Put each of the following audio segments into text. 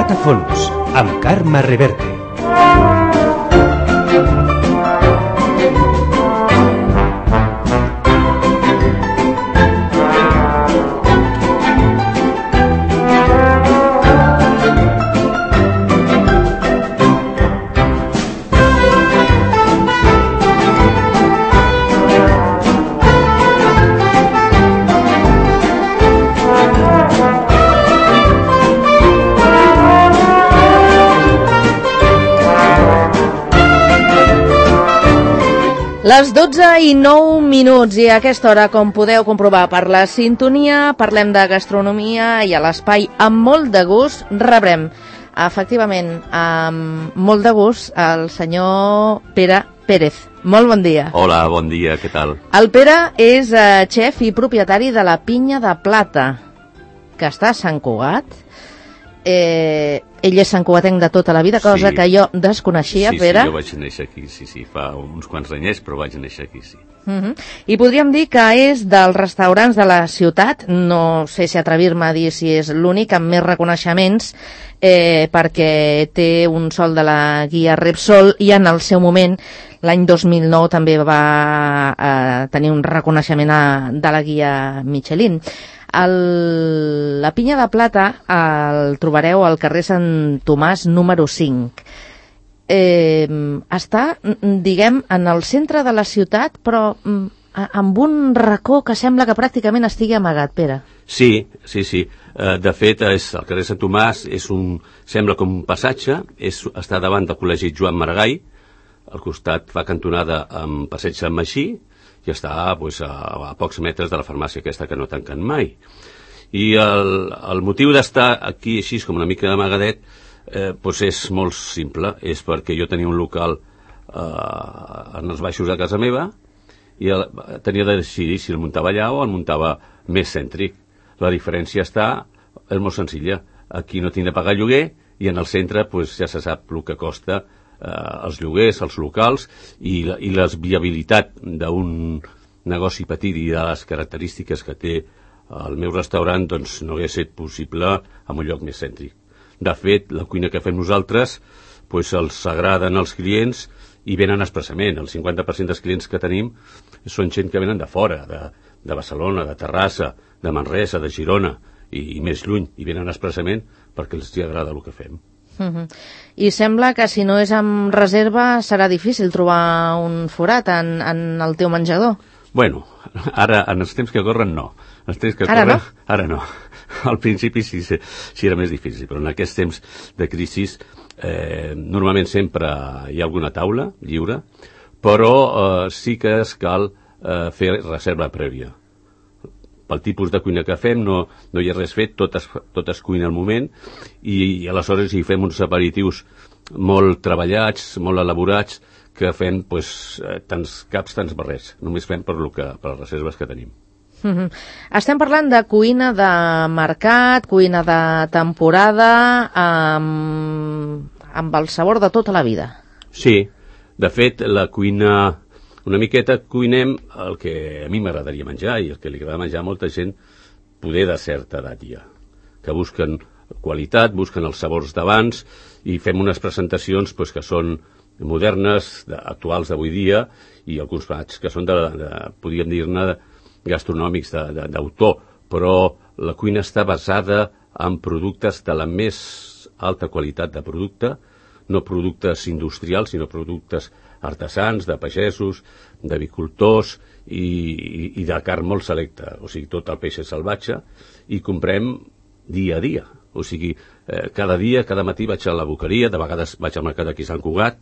Prat a fons, amb Carme Reverte. Les 12:09 i a aquesta hora, com podeu comprovar per la sintonia, parlem de gastronomia i a l'espai amb molt de gust rebrem, efectivament, amb molt de gust, el senyor Pere Pérez. Molt bon dia. Hola, bon dia, què tal? El Pere és xef i propietari de la Pinya de Plata, que està a Sant Cugat. Ell és santcugatenc de tota la vida, cosa que jo desconeixia, Pere. Sí, jo vaig néixer aquí, sí, fa uns quants anyets, però vaig néixer aquí, sí. I podríem dir que és dels restaurants de la ciutat, no sé si atrevir-me a dir si és l'únic amb més reconeixements, perquè té un sol de la guia Repsol i en el seu moment, l'any 2009, també va tenir un reconeixement de la guia Michelin. La Pinya de Plata el trobareu al carrer Sant Tomàs número 5. Està, diguem, en el centre de la ciutat, però amb un racó que sembla que pràcticament estigui amagat, Pere. Sí. De fet, el carrer Sant Tomàs sembla com un passatge, està davant del Col·legi Joan Maragall, al costat fa cantonada amb Passeig Sant Magí, i està a pocs metres de la farmàcia aquesta que no tanquen mai. I el motiu d'estar aquí així com una mica d'amagadet és molt simple, és perquè jo tenia un local en els baixos de casa meva i tenia de decidir si el muntava allà o el muntava més cèntric. La diferència és molt senzilla, aquí no tinc de pagar lloguer i en el centre ja se sap el que costa els lloguers, els locals i la viabilitat d'un negoci petit i de les característiques que té el meu restaurant no hauria estat possible en un lloc més cèntric. De fet, la cuina que fem nosaltres els agraden als clients i venen expressament. El 50% dels clients que tenim són gent que venen de fora, de Barcelona, de Terrassa, de Manresa, de Girona i més lluny, i venen expressament perquè els agrada el que fem. I sembla que si no és amb reserva serà difícil trobar un forat en el teu menjador. Bueno, ara, en els temps que corren, no. Ara no. Al principi sí era més difícil, però en aquests temps de crisi normalment sempre hi ha alguna taula lliure, però sí que cal fer reserva prèvia. Pel tipus de cuina que fem no hi ha res fet, tot es cuina al moment i aleshores hi fem uns aperitius molt treballats, molt elaborats, que fem tants caps, tants barrets. Només fem per les reserves que tenim. Estem parlant de cuina de mercat, cuina de temporada, amb el sabor de tota la vida. Sí, de fet, la cuina... Una miqueta cuinem el que a mi m'agradaria menjar i el que li agrada menjar a molta gent poder de certa edat ja, que busquen qualitat, busquen els sabors d'abans i fem unes presentacions que són modernes, actuals d'avui dia i alguns plats que són podríem dir-ne gastronòmics d'autor, però la cuina està basada en productes de la més alta qualitat de producte, no productes industrials, sinó productes artesans, de pagesos, d'avicultors i de carn molt selecta, o sigui, tot el peix és salvatge, i comprem dia a dia. O sigui, cada dia, cada matí vaig a la boqueria, de vegades vaig al mercat aquí a Sant Cugat,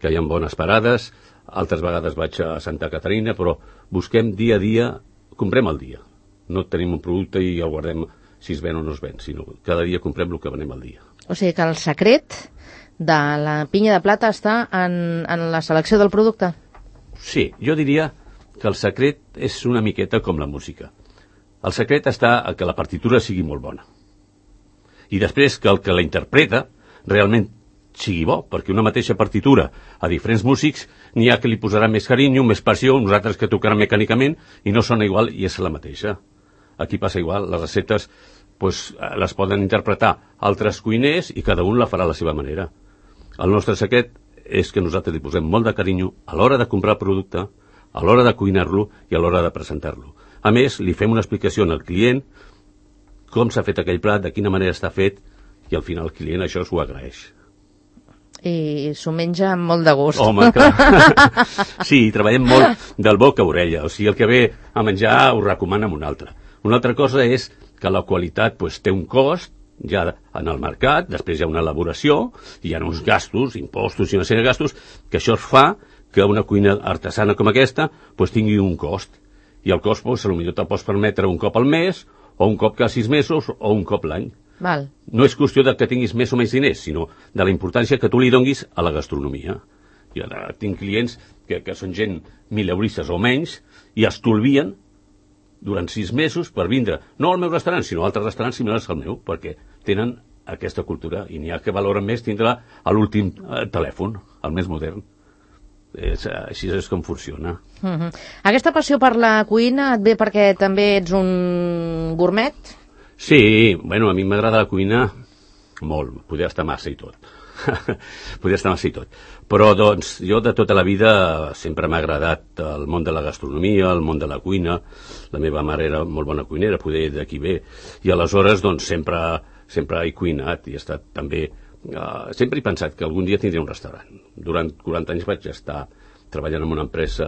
que hi ha bones parades, altres vegades vaig a Santa Caterina, però busquem dia a dia, comprem al dia. No tenim un producte i el guardem si es ven o no es ven, sinó cada dia comprem el que venem al dia. O sigui que el secret de la Pinya de Plata està en la selecció del producte? Sí, jo diria que el secret és una miqueta com la música. El secret està a que la partitura sigui molt bona. I després que el que la interpreta realment sigui bo, perquè una mateixa partitura a diferents músics n'hi ha que li posaran més carinyo, més passió, uns altres que tocaran mecànicament i no sona igual i és la mateixa. Aquí passa igual, les receptes les poden interpretar altres cuiners i cada un la farà a la seva manera. El nostre secret és que nosaltres li posem molt de carinyo a l'hora de comprar el producte, a l'hora de cuinar-lo i a l'hora de presentar-lo. A més, li fem una explicació al client com s'ha fet aquell plat, de quina manera està fet, i al final el client això s'ho agraeix. I s'ho menja amb molt de gust. Home, clar. Sí, treballem molt del boca a orella, o sigui, el que ve a menjar ho recomana amb un altre. Una altra cosa és que la qualitat té un cost, ja en el mercat, després hi ha una elaboració, hi ha uns gastos, impostos i una sèrie de gastos, que això fa que una cuina artesana com aquesta tingui un cost. I el cost, potser te'l pots permetre un cop al mes, o un cop cada 6 mesos, o un cop l'any. Val. No és qüestió de que tinguis més o menys diners, sinó de la importància que tu li donguis a la gastronomia. Jo tinc clients que són gent mileuristes o menys i estolvien durant 6 mesos per vindre, no al meu restaurant, sinó a altres restaurants similars al meu, perquè tenen aquesta cultura i n'hi ha que valoren més tindre l'últim telèfon, el més modern. Així és com funciona. Aquesta passió per la cuina et ve perquè també ets un gourmet? Sí, bueno, a mi m'agrada la cuina molt, podria estar massa i tot. Podria estar massa i tot. Però, doncs, jo de tota la vida sempre m'ha agradat el món de la gastronomia, el món de la cuina. La meva mare era molt bona cuinera, poder d'aquí ve. I aleshores, doncs, sempre he cuinat i he estat també... sempre he pensat que algun dia tindré un restaurant. Durant 40 anys vaig estar treballant en una empresa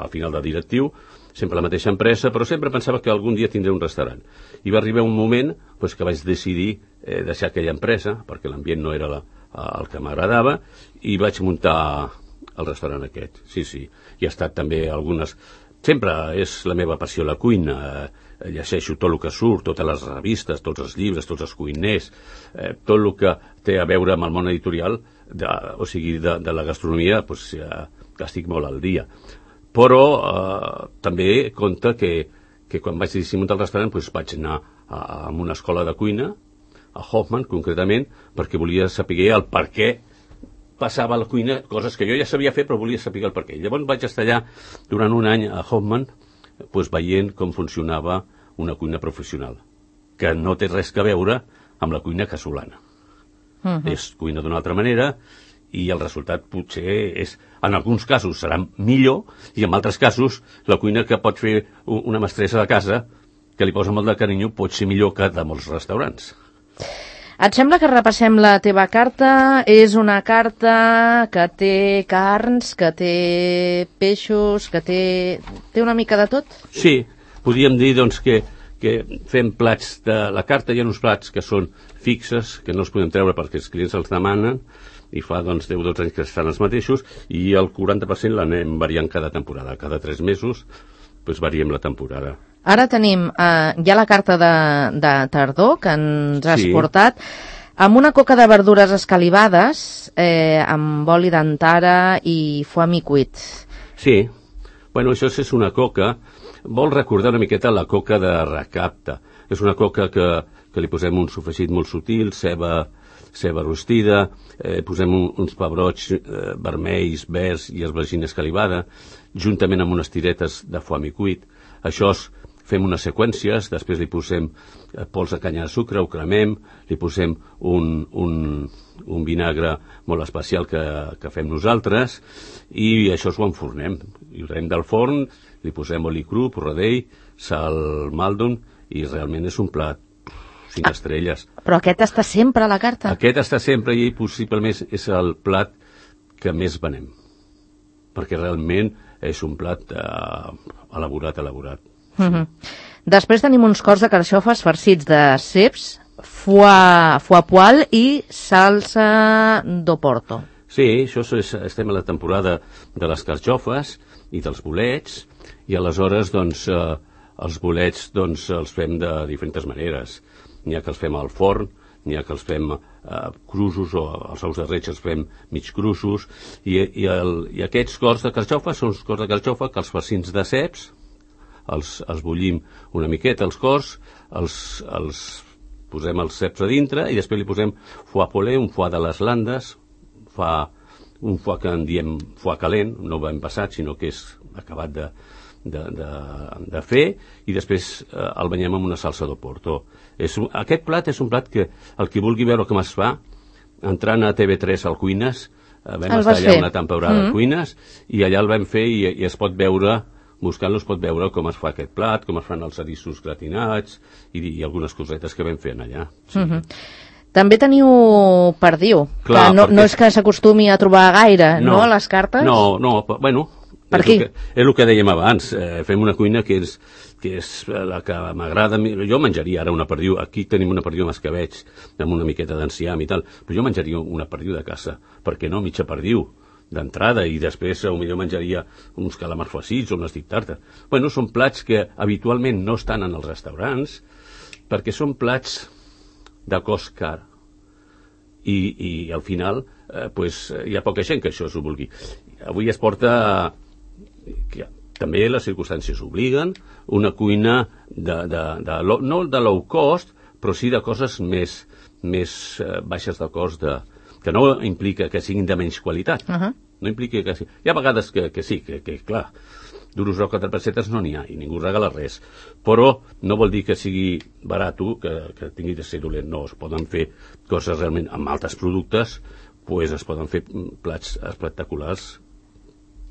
al final de directiu, sempre la mateixa empresa, però sempre pensava que algun dia tindré un restaurant. I va arribar un moment que vaig decidir deixar aquella empresa, perquè l'ambient no era el que m'agradava, i vaig muntar el restaurant aquest. Sí, sí. I ha estat també algunes... Sempre és la meva passió la cuina, llegeixo tot el que surt, totes les revistes, tots els llibres, tots els cuiners, tot el que té a veure amb el món editorial, o sigui, de la gastronomia, que estic molt al dia. Però també compte que quan vaig decidir muntar el restaurant vaig anar a una escola de cuina, a Hoffman concretament, perquè volia saber el per què passava a la cuina, coses que jo ja sabia fer però volia saber el per què. Llavors vaig estar allà durant un any a Hoffman veient com funcionava una cuina professional, que no té res a veure amb la cuina casolana. És cuina d'una altra manera i el resultat potser és, en alguns casos serà millor i en altres casos la cuina que pot fer una mestressa de casa que li posa molt de carinyo pot ser millor que de molts restaurants. Et sembla que repassem la teva carta? És una carta que té carns, que té peixos, que té una mica de tot? Sí, podríem dir doncs, que fem plats de la carta. Hi ha uns plats que són fixes, que no els podem treure perquè els clients els demanen, i fa 10-12 anys que estan els mateixos, i el 40% l'anem variant cada temporada. Cada 3 mesos variem la temporada. Ara tenim ja la carta de tardor que ens has portat, amb una coca de verdures escalivades, amb oli d'antara i foie mi cuit. Sí, bueno, això és una coca, vol recordar una miqueta la coca de recapta. És una coca que li posem un sofregit molt sutil, ceba rostida, posem uns pebrots vermells, verds i esvergina escalivada, juntament amb unes tiretes de foie mi cuit. Això fem unes seqüències, després li posem pols de canya de sucre, ho cremem, li posem un vinagre molt especial que fem nosaltres i això ho enfornem. I ho traiem del forn, li posem oli cru, porradell, sal maldon i realment és un plat 5 estrelles. Però aquest està sempre a la carta? Aquest està sempre i possiblement és el plat que més venem, perquè realment és un plat elaborat. Després tenim uns cors de carxofes farcits de ceps, foie poil i salsa d'oporto. Sí, estem a la temporada de les carxofes i dels bolets, i aleshores els bolets els fem de diferents maneres. N'hi ha que els fem al forn, n'hi ha que els fem crusos, o els ous de reig els fem mig crusos, i aquests cors de carxofa són els cors de carxofa que els farcins de ceps els bullim una miqueta, els cors, els posem els ceps a dintre i després li posem foie polé, un foie de les Landes, un foie que en diem foie calent, no ben passat, sinó que és acabat de fer, i després el banyem amb una salsa d'Oporto. Aquest plat és un plat que el qui vulgui veure com es fa, entrant a TV3 al Cuines, vam estar allà una temporada a Cuines, i allà el vam fer i es pot veure, buscant-lo es pot veure com es fa aquest plat, com es fan els eriços gratinats i algunes cosetes que vam fer allà. Sí. També teniu perdiu, clar, que no és que s'acostumi a trobar gaire, no, a les cartes? No, bueno, és el que dèiem abans, fem una cuina que és la que m'agrada. Jo menjaria ara una perdiu, aquí tenim una perdiu amb escabeig, amb una miqueta d'enciam i tal, però jo menjaria una perdiu de casa, perquè no mitja perdiu d'entrada, i després potser menjaria uns calamars farcits o unes dictartes. Bueno, són plats que habitualment no estan en els restaurants, perquè són plats de cost car, i al final hi ha poca gent que això s'ho vulgui. Avui es porta, que també les circumstàncies obliguen, una cuina no de low cost, però sí de coses més baixes de cost, que no implica que siguin de menys qualitat. No implica que sí. Hi ha vegades que sí, que clar, duros o 4 pessetes no n'hi ha, i ningú regala res. Però no vol dir que sigui barat, que tingui de ser dolent. No, es poden fer coses realment amb altres productes, pues es poden fer plats espectaculars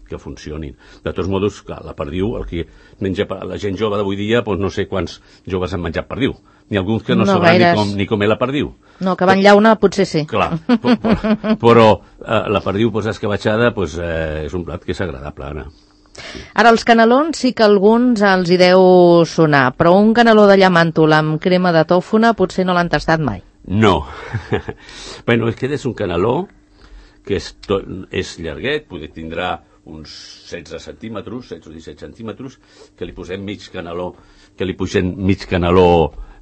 que funcionin. De tots modos, clar, la perdiu, el que menja la gent jove d'avui dia, doncs no sé quants joves han menjat perdiu. Ni alguns que no sabran ni com és la perdiu. No, que van llauna potser sí. Clar, però la perdiu escabatxada és un plat que és agradable, Anna. Ara, els canelons sí que alguns els hi deu sonar, però un caneló de llamàntol amb crema de tòfona potser no l'han tastat mai. No. Bueno, aquest és un caneló que és llarguet, tindrà uns 16 centímetres, 16 o 17 centímetres, que li posem mig caneló,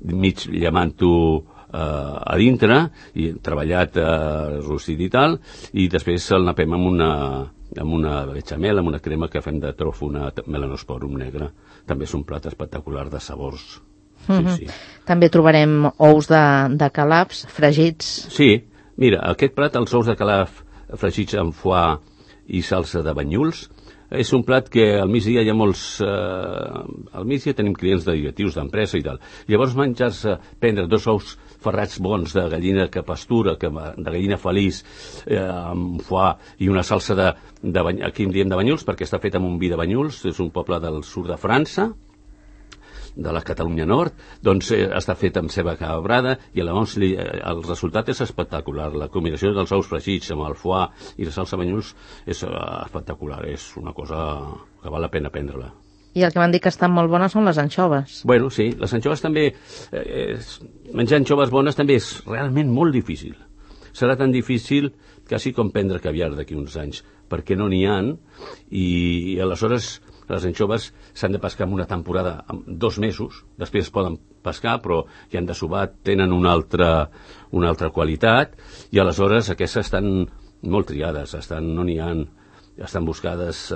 mig llamàntol a dintre, i treballat rostit i tal, i després el napem amb una bechamel, amb una crema que fem de tròfona melanosporum negre. També és un plat espectacular de sabors. Sí. També trobarem ous de calafs fregits. Sí, mira, aquest plat, els ous de calaf fregits amb foie i salsa de banyuls, és un plat que al migdia hi ha molts... al migdia tenim clients de directius d'empresa i tal. Llavors prendre 2 ous ferrats bons de gallina que pastura, de gallina feliç, amb foie i una salsa aquí en diem de banyuls, perquè està fet amb un vi de Banyuls, és un poble del sud de França, de la Catalunya Nord, doncs està fet amb ceba cabrada, i llavors el resultat és espectacular. La combinació dels ous fregits amb el foie i la salsa Banyuls és espectacular, és una cosa que val la pena prendre-la. I el que m'han dit que estan molt bones són les anxoves. Bueno, sí, les anxoves també, menjar anxoves bones també és realment molt difícil. Serà tan difícil quasi com prendre caviar d'aquí uns anys, perquè no n'hi ha, i aleshores les anxoves s'han de pescar en una temporada, en 2 mesos, després es poden pescar, però ja han de subar, tenen una altra qualitat, i aleshores aquestes estan molt triades, no n'hi ha, estan buscades,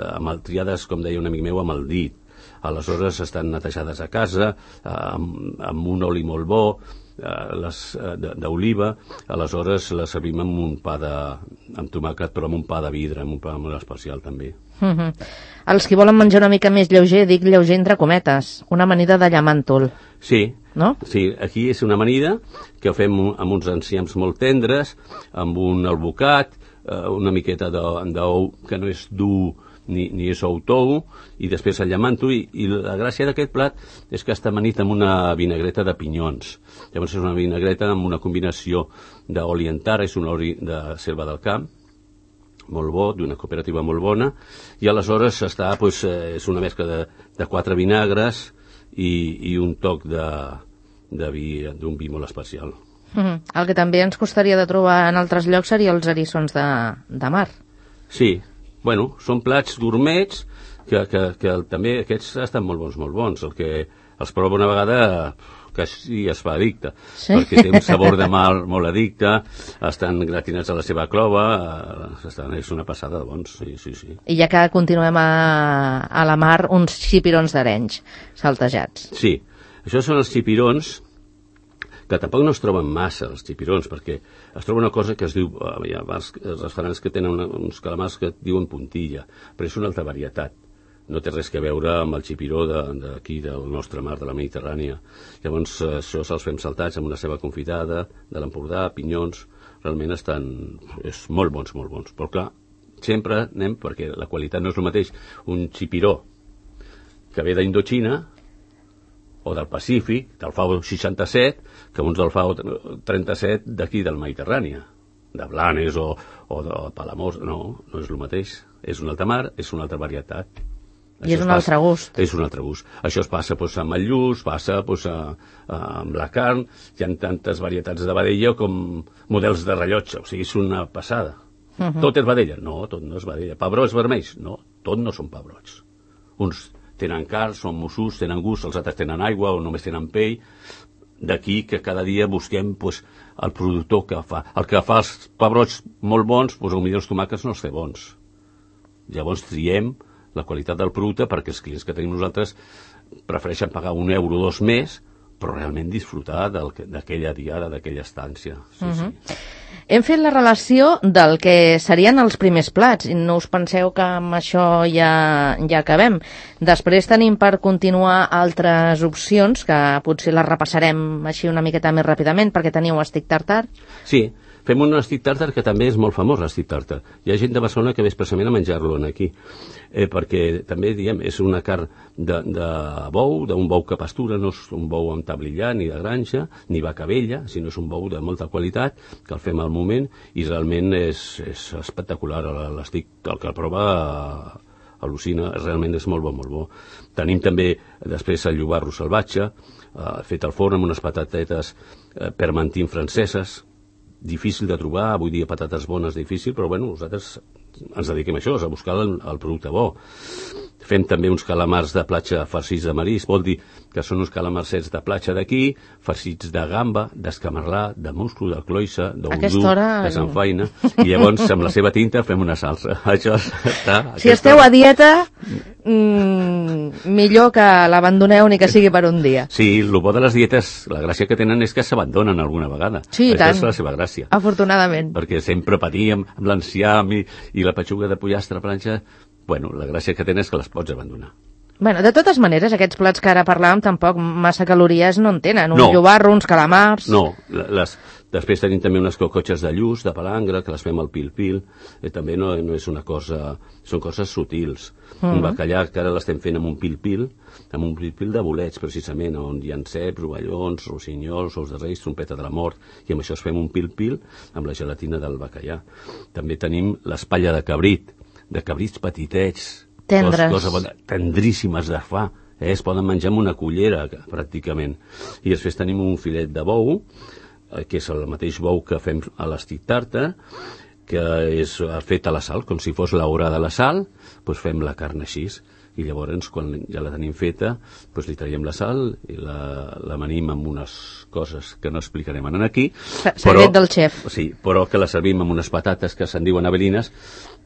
triades, com deia un amic meu, amb el dit. Aleshores estan netejades a casa, amb un oli molt bo, d'oliva, aleshores les servim amb un pa amb tomàquet, però amb un pa de vidre, amb un pa molt especial també. Els qui volen menjar una mica més lleuger, dic lleuger entre cometes, una amanida de llamàntol. Sí, no? Sí, aquí és una amanida que fem amb uns enciams molt tendres, amb un albocat, una miqueta d'ou que no és dur ni és ou tou, i després el llamàntol, i la gràcia d'aquest plat és que està amanit amb una vinagreta de pinyons. Llavors és una vinagreta amb una combinació d'oli en tara, és un oli de Selva del Camp, molt bo, d'una cooperativa molt bona, i aleshores és una mescla de 4 vinagres i un toc de vi, d'un vi molt especial. El que també ens costaria de trobar en altres llocs seria els eriçons de mar. Sí, bueno, són plats gourmets que també aquests estan molt bons. El que els prova una vegada quasi es fa addicte, perquè té un sabor de mar molt addicte, estan gratinats a la seva clova, és una passada de bons, sí. I ja que continuem a la mar, uns xipirons d'Arenys, saltejats. Sí, això són els xipirons, que tampoc no es troben massa, els xipirons, perquè es troba una cosa que es diu, hi ha restaurants que tenen uns calamars que diuen puntilla, però és una altra varietat. no té res que veure amb el xipiró d'aquí, del nostre mar, de la Mediterrània. Llavors, això se'ls fem saltats amb una ceba confitada, de l'Empordà, pinyons, realment és molt bons, però clar, sempre anem, perquè la qualitat no és el mateix, un xipiró que ve d'Indochina o del Pacífic, del FAO 67, que uns del FAO 37 d'aquí del Mediterrània, de Blanes o de Palamós. No és el mateix. És una altra mar, és una altra varietat. I és un altre gust. És un altre gust. Això es passa amb el lluç, passa amb la carn, hi ha tantes varietats de vedella com models de rellotge, o sigui, és una passada. Tot és vedella? No, tot no és vedella. Pebrots vermells? No, tot no són pebrots. Uns tenen carn, són mussuts, tenen gust, els altres tenen aigua o només tenen pell. D'aquí que cada dia busquem el productor que fa. El que fa els pebrots molt bons, potser els tomàquets no els té bons. Llavors triem la qualitat del producte perquè els clients que tenim nosaltres prefereixen pagar €1 o €2 més, però realment disfrutar d'aquella diada, d'aquella estància. Sí. Hem fet la relació del que serien els primers plats, i no us penseu que amb això ja acabem. Després tenim per continuar altres opcions, que potser les repassarem així una miqueta més ràpidament, perquè teniu estic tartar. Sí, fem un estic tartar que també és molt famós, l'estic tartar. Hi ha gent de Barcelona que ve expressament a menjar-lo aquí, perquè també, diem, és una carn de bou, d'un bou que pastura, no és un bou amb tablillar, ni de granja, ni vaca vella, sinó és un bou de molta qualitat, que el fem al moment, i realment és espectacular. L'estic, el que el prova al·lucina, realment és molt bo. Tenim també, després, el llobarro salvatge, fet al forn amb unes patatetes permentin franceses, difícil de trobar, avui dia patates bones difícil, però bueno, nosaltres ens dediquem a això, a buscar el producte bo. Fem també uns calamars de platja farcits de marisc, vol dir que són uns calamarsets de platja d'aquí, farcits de gamba, d'escamarlà, de musclo, de cloïssa, d'oudú, de sanfaina, i llavors amb la seva tinta fem una salsa. Això està... Si esteu a dieta, millor que l'abandoneu ni que sigui per un dia. Sí, el bo de les dietes, la gràcia que tenen és que s'abandonen alguna vegada. Sí, això tant. És la seva gràcia. Afortunadament. Perquè sempre patíem amb l'enciam i la petxuga de pollastre a planxa. Bueno, la gràcia que tenen és que les pots abandonar. Bueno, de totes maneres, aquests plats que ara parlàvem tampoc massa calories no en tenen. Un llobarro, uns calamars... No, després tenim també unes cocotxes de lluç, de palangre, que les fem al pil-pil. També no és una cosa... Són coses sutils. Un bacallà que ara l'estem fent amb un pil-pil de bolets, precisament, on hi ha ceps, rovellons, rossinyols, ous de reis, trompeta de la mort, i amb això es fem un pil-pil amb la gelatina del bacallà. També tenim l'espatlla de cabrits petitets, tendríssimes de fa, es poden menjar amb una cullera, pràcticament. I després tenim un filet de bou, que és el mateix bou que fem a l'estic tartar, que és fet a la sal, com si fos l'hora de la sal, doncs fem la carn així. I llavors, quan ja la tenim feta, doncs li traiem la sal i l'amanim amb unes coses que no explicarem aquí. Secret del xef. Sí, però que la servim amb unes patates que se'n diuen avelines,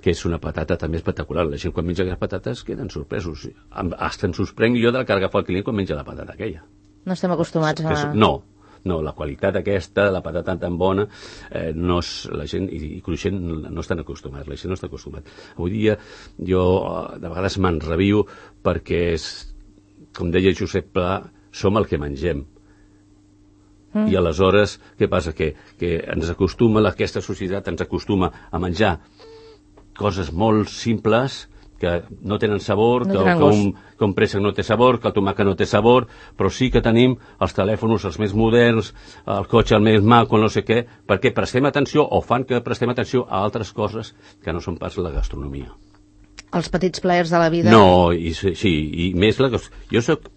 que és una patata també espectacular. La gent quan menja aquestes patates queden sorpresos. Hasta em sorprenc jo de la que agafa el client quan menja la patata aquella. No estem acostumats a... No, la qualitat aquesta, la patata tan bona, no és, la gent, i cruixent, no estan acostumats, la gent no està acostumat. Avui dia jo de vegades m'enrabio perquè, com deia Josep Pla, som el que mengem. I aleshores, què passa? Que ens acostuma, aquesta societat ens acostuma a menjar coses molt simples, que no tenen sabor, que un préssec no té sabor, que el tomàquet no té sabor, però sí que tenim els telèfons els més moderns, el cotxe el més maco, no sé què, perquè prestem atenció, o fan que prestem atenció a altres coses que no són pas la gastronomia. Els petits plaers de la vida. No, sí, i més jo soc,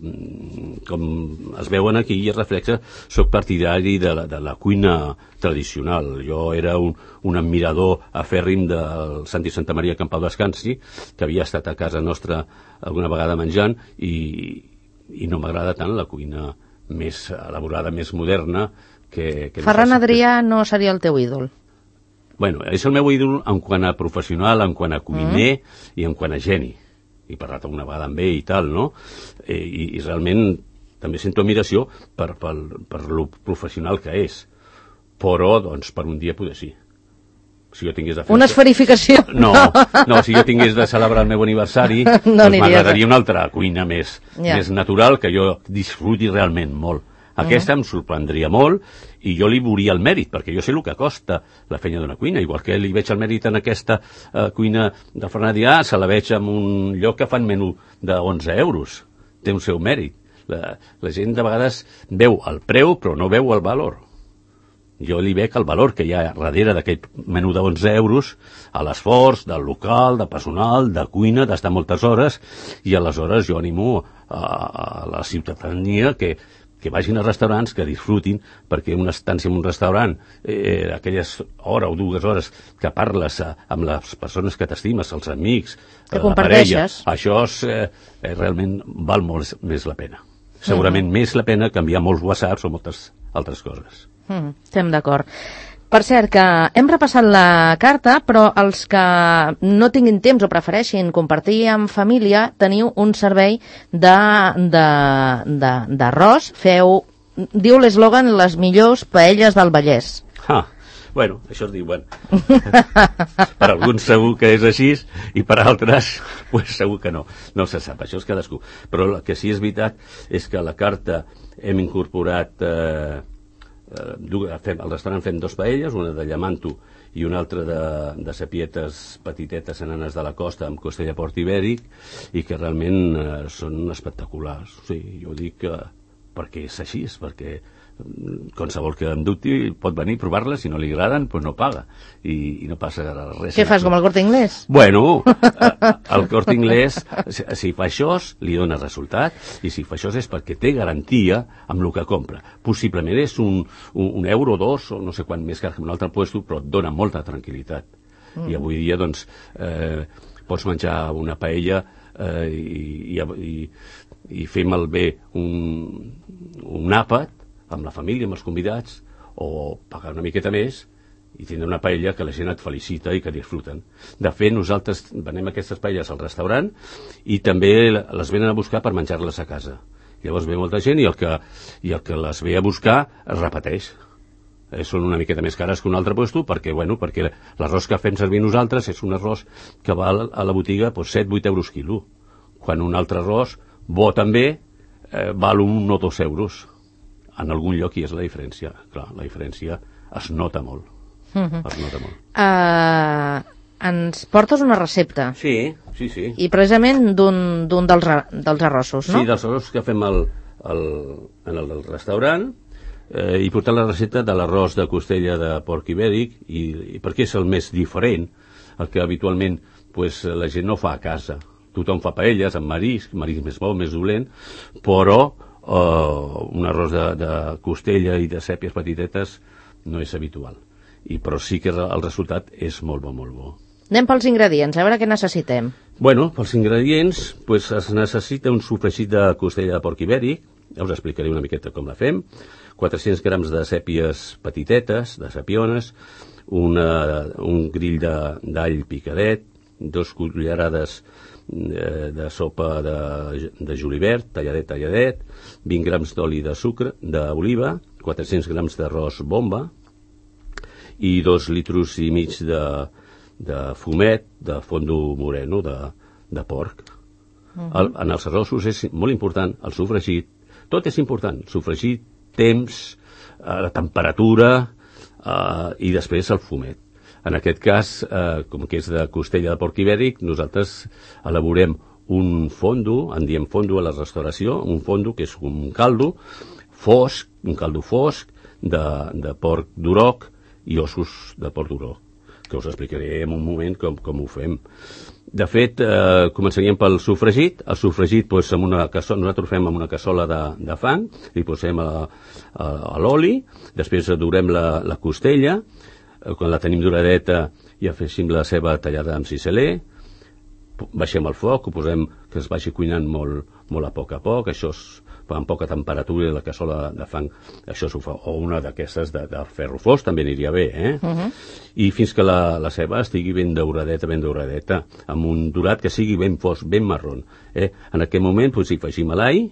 com es veuen aquí i es reflexa, soc partidari de la cuina tradicional. Jo era un admirador afèrrim del Santi Santamaria Campau Descansi, que havia estat a casa nostra alguna vegada menjant, i no m'agrada tant la cuina més elaborada, més moderna. Ferran Adrià no seria el teu ídol? Bueno, és el meu ídol en quant a professional, en quant a cuiner i en quant a geni. He parlat alguna vegada amb ell i tal, no? I realment també sento admiració per lo professional que és. Però, doncs, per un dia poder sí. Si jo tingués de fer... Una esferificació. No, si jo tingués de celebrar el meu aniversari, no doncs m'agradaria una altra cuina més natural, que jo disfruti realment molt. Aquesta em sorprendria molt i jo li veuria el mèrit, perquè jo sé el que costa la feina d'una cuina, igual que li veig el mèrit en aquesta cuina de Fernadià, se la veig en un lloc que fan menú de 11 euros. Té un seu mèrit. La gent de vegades veu el preu però no veu el valor. Jo li veig el valor que hi ha darrere d'aquest menú de 11 euros, a l'esforç del local, de personal, de cuina, d'estar moltes hores, i aleshores jo animo a la ciutadania que vagin a restaurants, que disfrutin, perquè una estància en un restaurant, aquelles hora o 2 hores que parles amb les persones que t'estimes, els amics, que la parella, això realment val molt més la pena. Segurament més la pena que enviar molts whatsapps o moltes altres coses. Estem d'acord. Per cert, que hem repassat la carta, però els que no tinguin temps o prefereixin compartir amb família, teniu un servei d'arròs. Diu l'eslògan, les millors paelles del Vallès. Bueno, això es diu, per alguns segur que és així i per altres pues, segur que no se sap, això és cadascú, però el que sí és veritat és que a la carta hem incorporat al restaurant fem 2 paelles, una de llamanto i una altra de sapietes petitetes enanes de la costa amb costella port ibèric, i que realment són espectaculars. O sigui, jo dic perquè és així, perquè qualsevol que em dubti pot venir a provar-les, si no li agraden doncs no paga i no passa res. Què fas, com el Corte Inglés? Bueno, el Corte Inglés, si fa això li dona resultat, i si fa això és perquè té garantia amb el que compra. Possiblement és un euro, 2 o no sé quant més car que un altre puesto, però et dona molta tranquil·litat. I avui dia doncs pots menjar una paella i fer malbé un àpat amb la família, amb els convidats, o pagar una miqueta més i tindre una paella que la gent et felicita i que disfruten. De fet, nosaltres venem aquestes paelles al restaurant i també les venen a buscar per menjar-les a casa. Llavors ve molta gent i el que les ve a buscar es repeteix. Són una miqueta més cares que un altre puesto perquè l'arròs que fem servir nosaltres és un arròs que val a la botiga 7-8 euros quilo, quan un altre arròs bo també val 1 o 2 euros. En algun lloc hi és la diferència. Clar, la diferència es nota molt. Es nota molt. Ens portes una recepta. Sí. I precisament d'un dels arrossos, no? Sí, dels arrossos que fem en el restaurant. He portat la recepta de l'arròs de costella de porc ibèric i perquè és el més diferent, el que habitualment la gent no fa a casa. Tothom fa paelles amb marisc més bo, més dolent, però un arròs de costella i de sèpies petitetes no és habitual, però sí que el resultat és molt bo, molt bo. Anem pels ingredients, a veure què necessitem. Bueno, pels ingredients es necessita un sofregit de costella de porc ibèric, ja us explicaré una miqueta com la fem, 400 grams de sèpies petitetes, de sapiones, un grill d'all picadet, 2 cullerades de sopa de julivert, talladet, 20 grams d'oli de sucre, d'oliva, 400 grams d'arròs bomba i 2 litres i mig de fumet de fondo moreno de porc. En els arrossos és molt important el sofregit, tot és important, sofregit, temps, la temperatura i després el fumet. En aquest cas, com que és de costella de porc ibèric, nosaltres elaborem un fondo, en diem fondo a la restauració, un fondo que és un caldo fosc, de porc d'uroc i ossos de porc d'uroc, que us explicaré en un moment com ho fem. De fet, començaríem pel sofregit. El sofregit, nosaltres ho fem en una cassola de fang, li posem a l'oli, després dorem la costella, quan la tenim doradeta i afegim la ceba tallada amb ciseler, baixem el foc, ho posem que es vagi cuinant molt a poc, això amb poca temperatura i la cassola de fang, això s'ho fa, o una d'aquestes de ferro fos també aniria bé, i fins que la ceba estigui ben douradeta, amb un dorat que sigui ben fosc, ben marrón. En aquest moment hi afegim l'all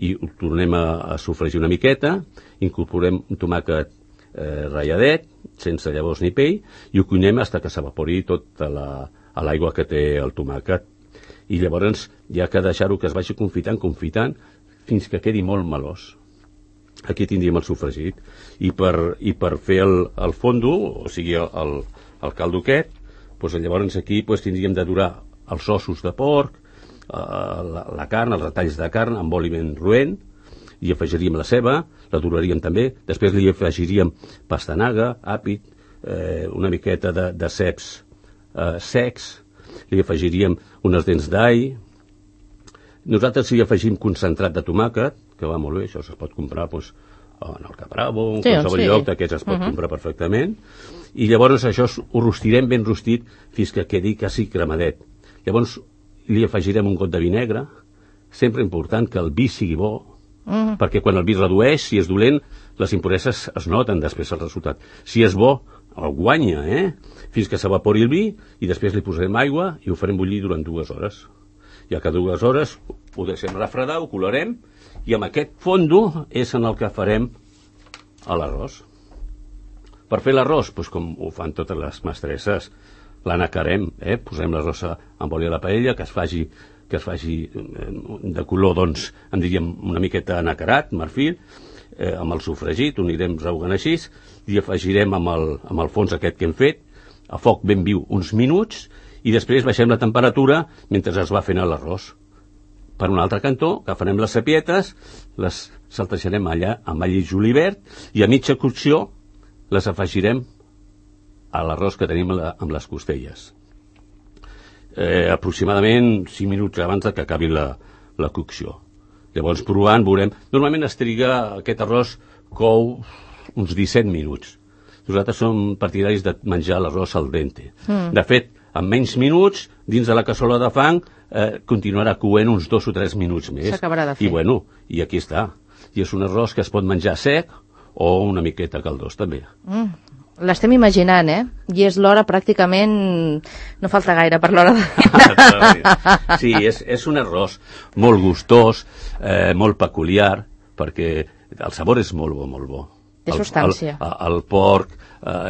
i ho tornem a sofregir una miqueta, incorporem un tomàquet ratlladet, sense llavors ni pell, i ho cuinem fins que s'evapori tota l'aigua que té el tomàquet. I llavors hi ha que deixar-ho que es vagi confitant, fins que quedi molt melós. Aquí tindríem el sofregit. I per fer el fondo, o sigui, el caldo aquest, doncs llavors aquí tindríem de durar els ossos de porc, la carn, els retalls de carn amb oli ben roent, i afegiríem la ceba, la doraríem també, després li afegiríem pastanaga, àpid, una miqueta de ceps secs, li afegiríem unes dents d'all. Nosaltres hi afegim concentrat de tomàquet, que va molt bé, això es pot comprar en el Capravo, en qualsevol lloc d'aquests es pot comprar perfectament, i llavors això ho rostirem ben rostit fins que quedi quasi cremadet. Llavors li afegirem un got de vi negre, sempre important que el vi sigui bo, perquè quan el vi redueix, si és dolent, les impureses es noten després al resultat. Si és bo, el guanya, fins que s'evapori el vi, i després li posarem aigua i ho farem bullir durant 2 hores. Ja que 2 hores ho deixem refredar, ho colarem, i amb aquest fondo és en el que farem l'arròs. Per fer l'arròs, com ho fan totes les mestresses, l'anacarem, posem l'arròs amb oli a la paella, que es faci de color, doncs, en diríem una miqueta anacarat, marfil, amb el sofregit, ho anirem rehogant així, i afegirem amb el fons aquest que hem fet, a foc ben viu uns minuts, i després baixem la temperatura mentre es va fent l'arròs. Per un altre cantó, agafarem les sapietes, les saltejarem allà amb all i julivert, i a mitja cocció les afegirem a l'arròs que tenim amb les costelles. Aproximadament 5 minuts abans que acabi la cocció. Llavors, provant, veurem... Normalment es triga aquest arròs cou uns 17 minuts. Nosaltres som partidaris de menjar l'arròs al dente. De fet, en menys minuts, dins de la cassola de fang, continuarà coent uns 2 o 3 minuts més. S'acabarà de fer. I aquí està. I és un arròs que es pot menjar sec o una miqueta caldós, també. L'estem imaginant, I és l'hora pràcticament... No falta gaire per l'hora de... Sí, és un arròs molt gustós, molt peculiar, perquè el sabor és molt bo, molt bo. Té substància. El porc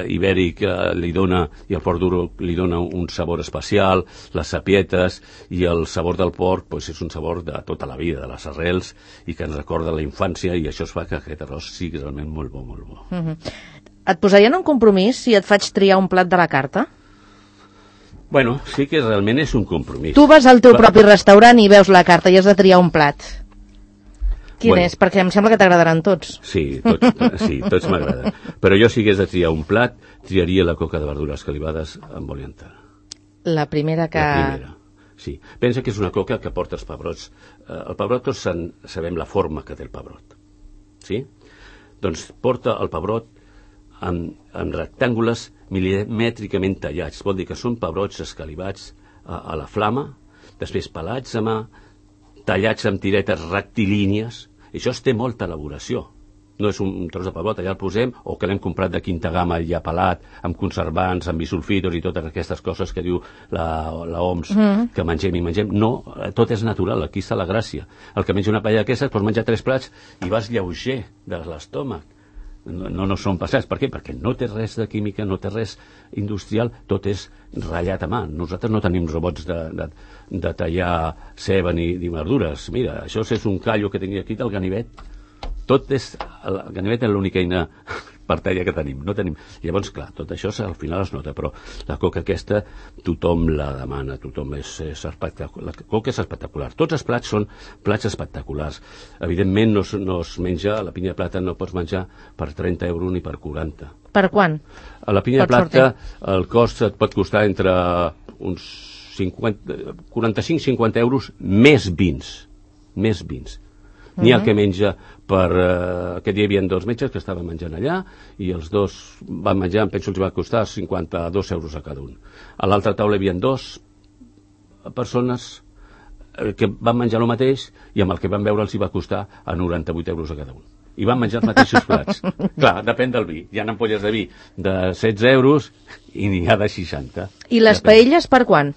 ibèric li dona, i el porc duro li dona un sabor especial, les sapietes, i el sabor del porc és un sabor de tota la vida, de les arrels, i que ens recorda la infància, i això es fa que aquest arròs sigui realment molt bo, molt bo. Et posarien un compromís si et faig triar un plat de la carta? Bueno, sí que realment és un compromís. Tu vas al teu propi restaurant i veus la carta i has de triar un plat. Quin és? Perquè em sembla que t'agradaran tots. Sí, tots m'agraden. Però jo si hagués de triar un plat, triaria la coca de verdures calivades amb oli enter. La primera que... La primera, sí. Pensa que és una coca que porta els pebrots. El pebrot tots sabem la forma que té el pebrot. Sí? Doncs porta el pebrot en rectàngules milimètricament tallats. Vol dir que són pebrots escalivats a la flama, després pelats a mà, tallats amb tiretes rectilínies. Això té molta elaboració. No és un tros de pebrot, allà el posem, o que l'hem comprat de quinta gamma ja pelat, amb conservants, amb bisulfitos i totes aquestes coses que diu la OMS, que mengem i mengem. No, tot és natural, aquí està la gràcia. El que menja una paella d'aquestes pots menjar 3 plats i vas lleuger de l'estómac. No són passats. Per què? Perquè no té res de química, no té res industrial, tot és ratllat a mà. Nosaltres no tenim robots de tallar ceba ni verdures. Mira, això és un callo que tenia aquí del ganivet. El ganivet és l'única eina per tallar que tenim. No tenim. Llavors, clar, tot això al final es nota, però la coca aquesta tothom la demana, tothom és espectacular. La coca és espectacular. Tots els plats són plats espectaculars. Evidentment no es menja, la pinya de plata no pots menjar per 30 euros ni per 40. Per quant? A la pinya de plata el cost et pot costar entre uns 45-50 euros més vins. Més vins. N'hi ha que menja aquest dia hi havia 2 metges que estaven menjant allà i els 2 van menjar, em penso que els va costar 52 euros a cada un. A l'altra taula hi havia 2 persones que van menjar el mateix i amb el que van veure els hi va costar a 98 euros a cada un. I van menjar els mateixos plats. Clar, depèn del vi. Hi ha ampolles de vi de 16 euros i n'hi ha de 60. I les paelles per quan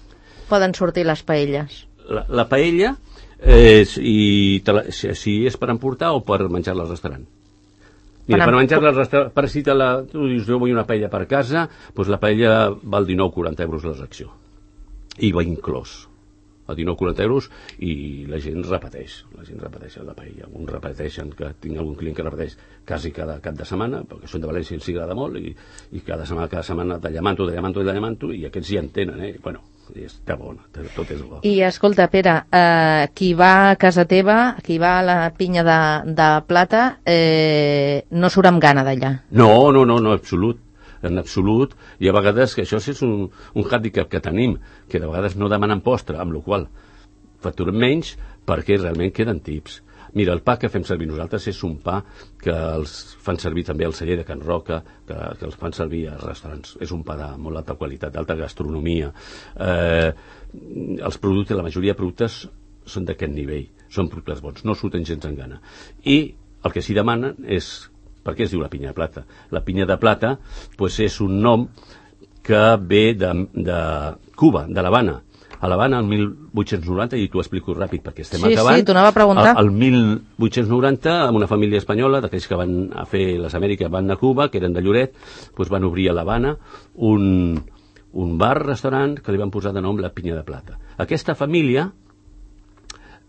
poden sortir les paelles? La paella... si és per emportar o per menjar-la al restaurant? Mira, per menjar-la al restaurant, per si tu dius, jo vull una paella per casa, doncs la paella val 19,40 euros la secció. I va inclòs a 19,40 euros i la gent repeteix la paella. Alguns repeteixen, que tinc algun client que repeteix quasi cada cap de setmana, perquè són de València i els agrada molt, i cada setmana de llamanto, i aquests ja en tenen, Bueno, està bona, tot és bo. I escolta, Pere, qui va a casa teva, qui va a la pinya de plata, no surt amb gana d'allà. No, en absolut, i a vegades que això és un hàndicap que tenim, que de vegades no demanen postre, amb la qual facturem menys perquè realment queden tips. Mira, el pa que fem servir nosaltres és un pa que els fan servir també al celler de Can Roca, que els fan servir als restaurants. És un pa de molt alta qualitat, d'alta gastronomia. Els productes, la majoria de productes són d'aquest nivell, són productes bons, no surten gens en gana. I el que s'hi demanen és per què es diu la pinya de plata? La pinya de plata és un nom que ve de Cuba, de l'Havana. A l'Havana, el 1890, i t'ho explico ràpid perquè estem acabant. Sí, t'ho anava a preguntar. El 1890, amb una família espanyola, d'aquells que van a fer les Amèriques, van a Cuba, que eren de Lloret, van obrir a l'Havana un bar-restaurant que li van posar de nom la pinya de plata. Aquesta família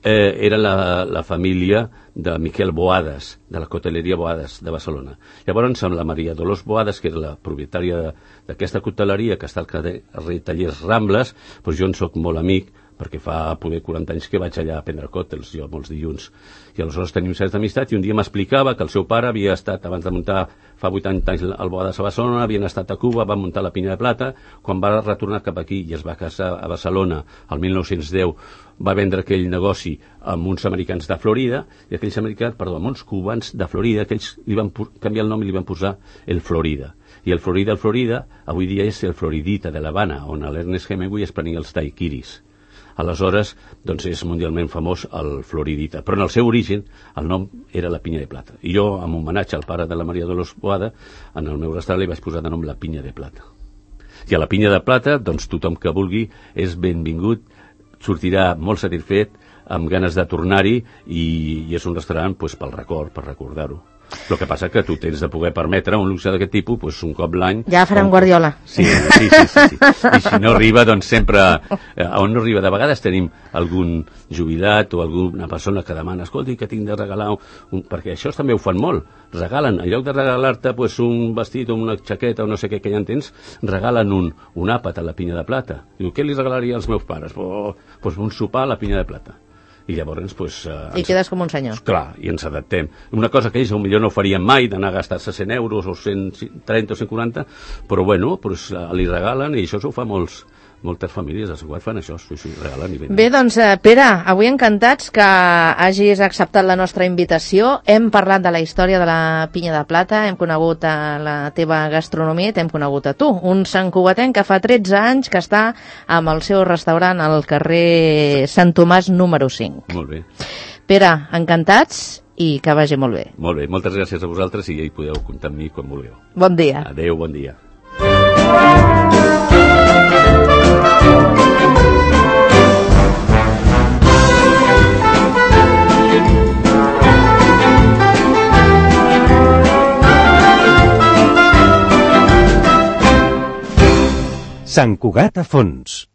era la família de Miquel Boades, de la coteleria Boades de Barcelona. Llavors, amb la Maria Dolors Boades, que era la propietària d'aquesta coteleria, que està al carrer Tallers Rambles, jo en soc molt amic, perquè fa poder 40 anys que vaig allà a prendre còctels, jo molts dilluns. I aleshores tenim certa amistat, i un dia m'explicava que el seu pare havia estat, abans de muntar, fa 80 anys al Boades a Barcelona, havien estat a Cuba, van muntar la pinya de plata, quan va retornar cap aquí i es va casar a Barcelona, el 1910, va vendre aquell negoci amb uns americans de Florida, i aquells americans, amb uns cubans de Florida, que ells li van canviar el nom i li van posar el Florida. I el Florida, avui dia és el Floridita de l'Havana, on l'Ernest Hemingway es prenia els daiquiris. Aleshores, és mundialment famós el Floridita. Però en el seu origen, el nom era la pinya de plata. I jo, en homenatge al pare de la Maria Dolors Boada, en el meu restaurant li vaig posar de nom la pinya de plata. I a la pinya de plata, tothom que vulgui és benvingut, sortirà molt satisfet, amb ganes de tornar-hi, i és un restaurant pel record, per recordar-ho. El que passa que tu tens de poder permetre un luxe d'aquest tipus un cop l'any. Ja farem Guardiola. Sí. I si no arriba, sempre on no arriba. De vegades tenim algun jubilat o alguna persona que demana, escolti, que tinc de regalar perquè això també ho fan molt, regalen, en lloc de regalar-te un vestit o una jaqueta o no sé què ja en tens, regalen un àpat a la pinya de plata. Diu, què li regalaria als meus pares? Un sopar a la pinya de plata. I llavors, I quedes com un senyor. Clar, i ens adaptem. Una cosa que ells potser no farien mai, d'anar a gastar-se 100 euros o 130 o 140, però bueno, li regalen, i això s'ho fa moltes famílies de Sant Cugat fan això, regalen i venen. Bé, doncs, Pere, avui encantats que hagis acceptat la nostra invitació. Hem parlat de la història de la pinya de plata, hem conegut la teva gastronomia i t'hem conegut a tu, un santcugatenc que fa 13 anys que està amb el seu restaurant al carrer Sant Tomàs número 5. Molt bé. Pere, encantats i que vagi molt bé. Molt bé, moltes gràcies a vosaltres i ja hi podeu comptar amb mi quan vulgueu. Bon dia. Adéu, bon dia. Sant Cugat a fons.